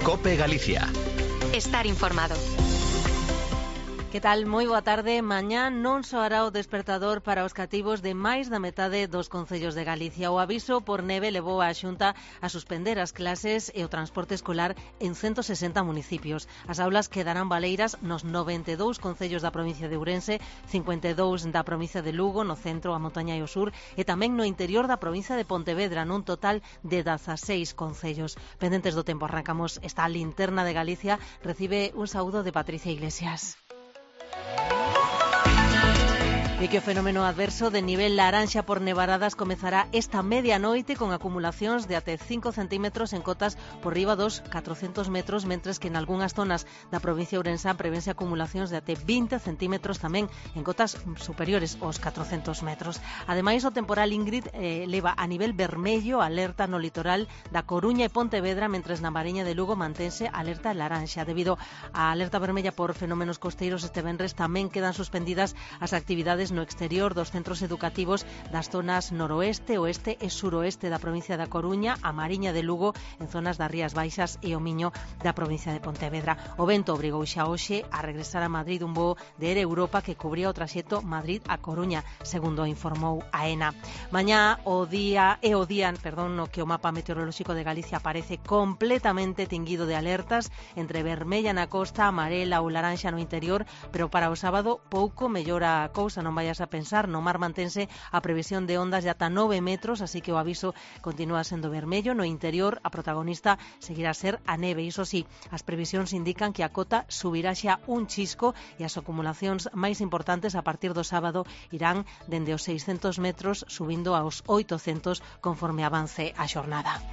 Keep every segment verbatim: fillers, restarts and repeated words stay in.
COPE Galicia. Estar informado. Que tal? Moi boa tarde. Mañá non soará o despertador para os cativos de máis da metade dos concellos de Galicia. O aviso por neve levou a Xunta a suspender as clases e o transporte escolar en ciento sesenta municipios. As aulas quedarán baleiras nos noventa e dous concellos da provincia de Ourense, cincuenta e dous da provincia de Lugo, no centro, a montaña e o sur, e tamén no interior da provincia de Pontevedra, nun total de dezaseis concellos. Pendentes do tempo, arrancamos esta linterna de Galicia. Recibe un saúdo de Patricia Iglesias. E que o fenómeno adverso de nivel laranxa por nevaradas comezará esta medianoite con acumulacións de até cinco centímetros en cotas por riba dos catrocentos metros, mentres que en algunhas zonas da provincia ourensá prevense acumulacións de até vinte centímetros tamén en cotas superiores aos catrocentos metros. Ademais, o temporal Ingrid eh, leva a nivel vermello alerta no litoral da Coruña e Pontevedra, mentres na Mariña de Lugo mantense alerta laranxa. Debido á alerta vermella por fenómenos costeiros, este venres tamén quedan suspendidas as actividades no exterior dos centros educativos das zonas noroeste, oeste e suroeste da provincia da Coruña, a Mariña de Lugo, en zonas das Rías Baixas e o Miño da provincia de Pontevedra. O vento obrigou xa hoxe a regresar a Madrid un voo de Air Europa que cubría o traxecto Madrid a Coruña, segundo informou a ENA. Mañá o día e o día, perdón, no que o mapa meteorolóxico de Galicia aparece completamente tinguido de alertas, entre vermella na costa, amarela ou laranxa no interior, pero para o sábado pouco mellora a cousa. Non vayas a pensar, no mar mantense a previsión de ondas de ata nove metros, así que o aviso continúa sendo vermello. No interior, a protagonista seguirá a ser a neve. Iso sí, as previsións indican que a cota subirá xa un chisco e as acumulacións máis importantes a partir do sábado irán dende os seiscentos metros subindo aos oitocentos conforme avance a xornada.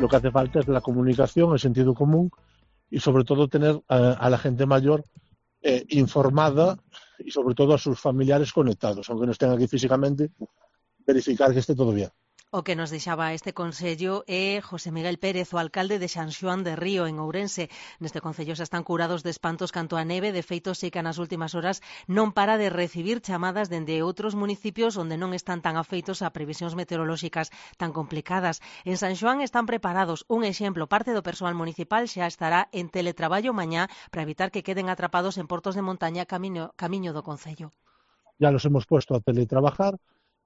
Lo que hace falta es la comunicación, el sentido común y sobre todo tener a, a la gente mayor Eh, informada y sobre todo a sus familiares conectados, aunque no estén aquí físicamente, verificar que esté todo bien. O que nos deixaba este consello é José Miguel Pérez, o alcalde de San Xoán de Río, en Ourense. Neste concello xa están curados de espantos canto a neve. De feito, sí que nas últimas horas non para de recibir chamadas dende outros municipios onde non están tan afeitos a previsións meteorolóxicas tan complicadas. En San Xoán están preparados. Un exemplo, parte do persoal municipal xa estará en teletraballo mañá para evitar que queden atrapados en portos de montaña camiño, camiño do concello. Ya los hemos puesto a teletrabajar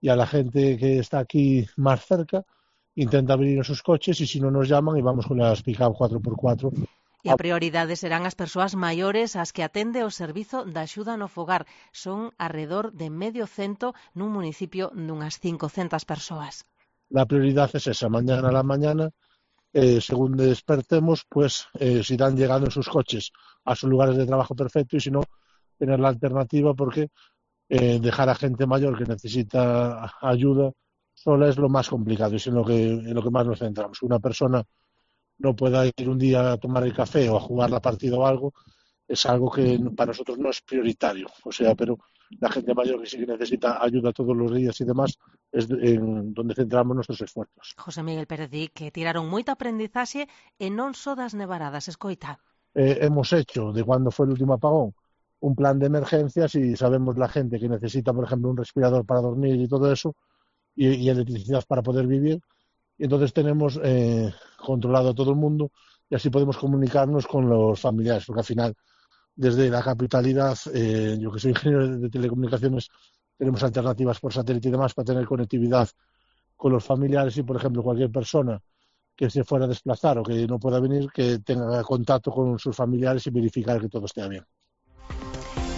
y a la gente que está aquí más cerca intenta venir en sus coches y si no nos llaman y vamos con las pick-up cuatro por cuatro. E a prioridade serán as persoas maiores as que atende o servizo da axuda no fogar. Son alrededor de medio cento nun municipio dunhas cincocentas persoas. La prioridad es esa, mañana a la mañana, eh, según despertemos, pues eh, se irán llegando en sus coches a sus lugares de trabajo perfecto y si no, tener la alternativa porque Eh, dejar a gente mayor que necesita ayuda sola es lo más complicado y es en lo que, en lo que más nos centramos. Una persona no pueda ir un día a tomar el café o a jugar la partida o algo, es algo que para nosotros no es prioritario. O sea, pero la gente mayor que sí que necesita ayuda todos los días y demás es en donde centramos nuestros esfuerzos. José Miguel Pérez di que tiraron moita aprendizaxe e non só das nevaradas, escoita. Eh, hemos hecho, de cuando fue el último apagón, un plan de emergencias y sabemos la gente que necesita, por ejemplo, un respirador para dormir y todo eso, y, y electricidad para poder vivir. Y entonces tenemos eh, controlado a todo el mundo y así podemos comunicarnos con los familiares, porque al final, desde la capitalidad, eh, yo que soy ingeniero de telecomunicaciones, tenemos alternativas por satélite y demás para tener conectividad con los familiares y, por ejemplo, cualquier persona que se fuera a desplazar o que no pueda venir, que tenga contacto con sus familiares y verificar que todo esté bien.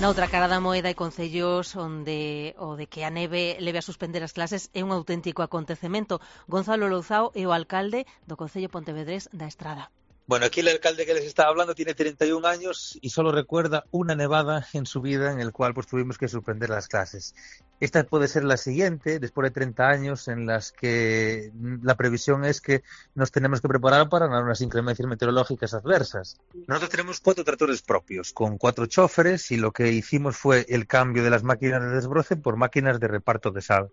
Na outra cara da moeda hai concellos onde o de que a neve leve a suspender as clases é un auténtico acontecemento. Gonzalo Louzao é o alcalde do concello pontevedrés da Estrada. Bueno, aquí el alcalde que les estaba hablando tiene treinta y un años y solo recuerda una nevada en su vida en el cual pues tuvimos que suspender las clases. Esta puede ser la siguiente, después de treinta años, en las que la previsión es que nos tenemos que preparar para unas inclemencias meteorológicas adversas. Nosotros tenemos cuatro tractores propios, con cuatro choferes, y lo que hicimos fue el cambio de las máquinas de desbroce por máquinas de reparto de sal.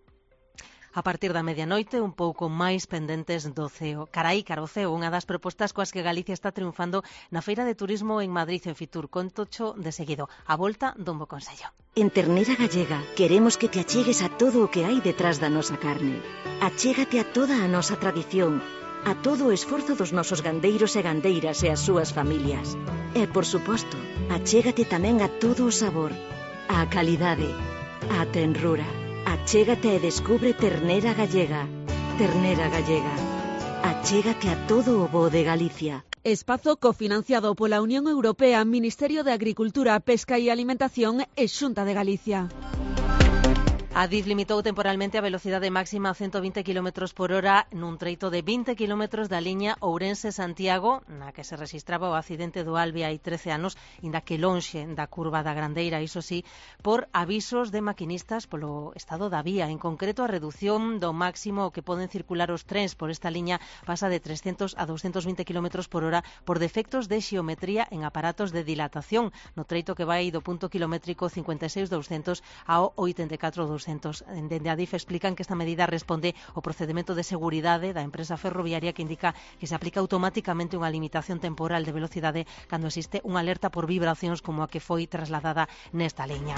A partir da medianoite, un pouco máis pendentes do ceo. Caraí, cara o ceo, unha das propostas coas que Galicia está triunfando na Feira de Turismo en Madrid, en Fitur. Contocho de seguido. A volta dun bo consello. En Ternera Gallega queremos que te achegues a todo o que hai detrás da nosa carne. Achégate a toda a nosa tradición. a todo o esforzo dos nosos gandeiros e gandeiras e as súas familias. E, por suposto, achégate tamén a todo o sabor, a calidade, a tenrura. Achégate e descubre ternera gallega. Ternera gallega. Achégate a todo o bo de Galicia. Espazo cofinanciado pola Unión Europea, Ministerio de Agricultura, Pesca e Alimentación e Xunta de Galicia. Adif limitou temporalmente a velocidade máxima a ciento vinte kilómetros por hora nun treito de vinte kilómetros da liña Ourense-Santiago, na que se registraba o accidente do Albi hai trece anos, inda que lonxe da curva da Grandeira, iso sí, por avisos de maquinistas polo estado da vía. En concreto, a reducción do máximo que poden circular os trens por esta liña pasa de trescentos a doscientos vinte kilómetros por hora por defectos de xeometría en aparatos de dilatación, no treito que vai do punto kilométrico cincuenta e seis doscientos ao oitenta e catro doscientos. Dende Adif explican que esta medida responde ao procedimento de seguridade da empresa ferroviaria que indica que se aplica automáticamente unha limitación temporal de velocidade cando existe unha alerta por vibracións como a que foi trasladada nesta liña.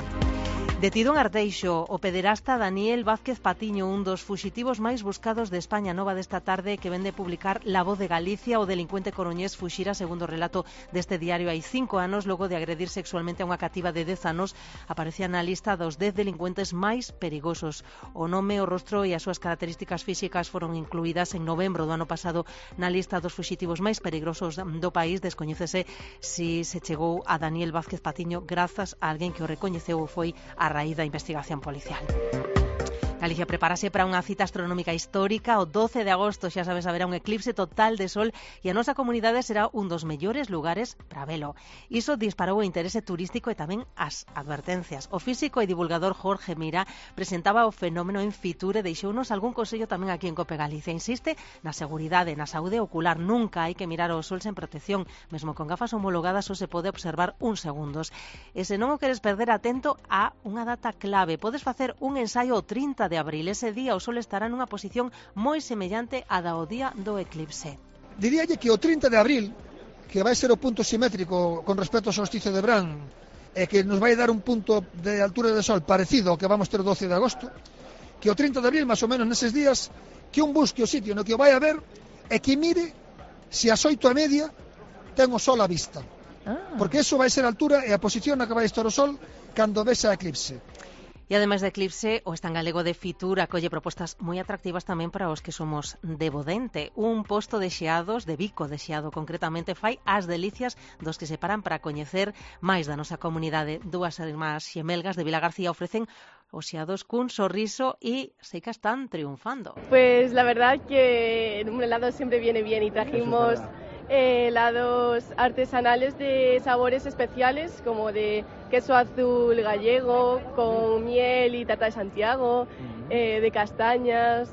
Detido en Arteixo, o pederasta Daniel Vázquez Patiño, un dos fuxitivos máis buscados de España. Nova desta tarde que vende publicar La Voz de Galicia. O delincuente coruñés fuxira, segundo o relato deste diario, hai cinco anos, logo de agredir sexualmente a unha cativa de dez anos. Aparecía na lista dos dez delincuentes máis perigosos. O nome, o rostro e as súas características físicas foron incluídas en novembro do ano pasado na lista dos fuxitivos máis peligrosos do país. Descoñécese si se chegou a Daniel Vázquez Patiño grazas a alguén que o recoñeceu ou foi a raíz da investigación policial. Galicia prepárase para unha cita astronómica histórica. O doce de agosto, xa sabes, haberá un eclipse total de sol e a nosa comunidade será un dos mellores lugares para velo. Iso disparou o interese turístico e tamén as advertencias. O físico e divulgador Jorge Mira presentaba o fenómeno en Fitur e deixounos algún consello tamén aquí en Cope Galicia. Insiste na seguridade, na saúde ocular. Nunca hai que mirar o sol sen protección. Mesmo con gafas homologadas só se pode observar uns segundos. E se non o queres perder, atento a unha data clave. Podes facer un ensaio o trinta de abril. Ese día o sol estará nunha posición moi semellante á da o día do eclipse. Diríalle que o trinta de abril, que vai ser o punto simétrico con respecto ao solsticio de verán, e que nos vai dar un punto de altura de sol parecido ao que vamos ter o doce de agosto, que o trinta de abril, máis ou menos neses días, que un busque o sitio no que o vai a ver e que mire se as oito e media ten o sol á vista. Ah. Porque eso vai ser a altura e a posición na que vai estar o sol cando vexa a eclipse. E ademais de Eclipse, o stand galego de Fitur acolle propostas moi atractivas tamén para os que somos de Bodente. Un posto de xeados, de bico de xeado concretamente, fai as delicias dos que se paran para coñecer máis da nosa comunidade. Dúas irmás xemelgas de Vilagarcía ofrecen os xeados cun sorriso e sei que están triunfando. Pues la verdad que un helado siempre viene bien y trajimos helados artesanales de sabores especiales como de queso azul gallego con miel y tarta de Santiago, eh, de castañas.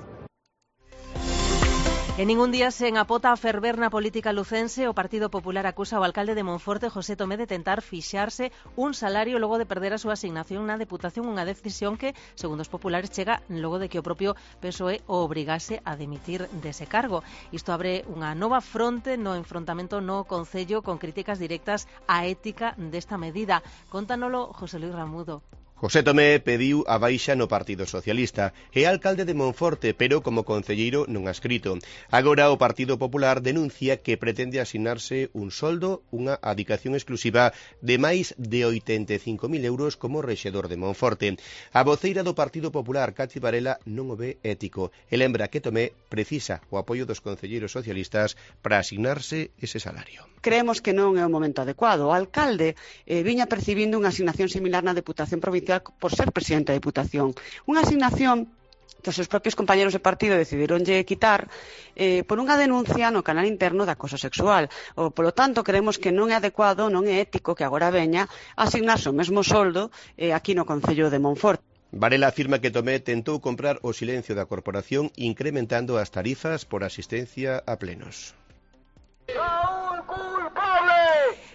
En ningún día sen apota a ferver na política lucense. O Partido Popular acusa ao alcalde de Monforte, José Tomé, de tentar fixarse un salario logo de perder a súa asignación na Deputación, unha decisión que, segundo os populares, chega logo de que o propio P S O E o obrigase a dimitir dese cargo. Isto abre unha nova fronte no enfrontamento no Concello con críticas directas á ética desta medida. Contanolo José Luis Ramudo. José Tomé pediu a baixa no Partido Socialista e alcalde de Monforte, pero como concelleiro non adscrito. Agora o Partido Popular denuncia que pretende asignarse un soldo, unha adicación exclusiva de máis de oitenta e cinco mil euros como rexedor de Monforte. A voceira do Partido Popular, Cachi Varela, non o ve ético e lembra que Tomé precisa o apoio dos concelleiros socialistas para asignarse ese salario. Creemos que non é o momento adecuado. O alcalde eh, viña percibindo unha asignación similar na Deputación Provincial por ser presidente da Deputación. Unha asignación que os seus propios compañeros de partido decidironlle quitar eh, por unha denuncia no canal interno de acoso sexual. O, polo tanto, creemos que non é adecuado, non é ético que agora veña a asignarse o mesmo soldo eh, aquí no Concello de Monforte. Varela afirma que Tomé tentou comprar o silencio da corporación incrementando as tarifas por asistencia a plenos.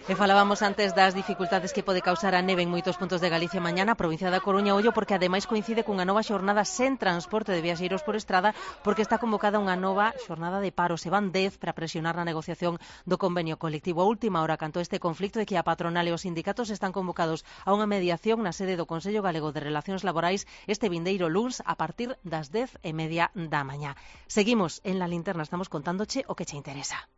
E falábamos antes das dificultades que pode causar a neve en moitos puntos de Galicia mañana, a provincia da Coruña, ollo, porque ademais coincide cunha nova xornada sen transporte de viaxeiros por estrada, porque está convocada unha nova xornada de paro. Se van dez para presionar na negociación do convenio colectivo. A última hora canto este conflicto é que a patronal e os sindicatos están convocados a unha mediación na sede do Consello Galego de Relacións Laborais este vindeiro luns a partir das dez e media da mañá. Seguimos en La Linterna, estamos contándoche o que che interesa.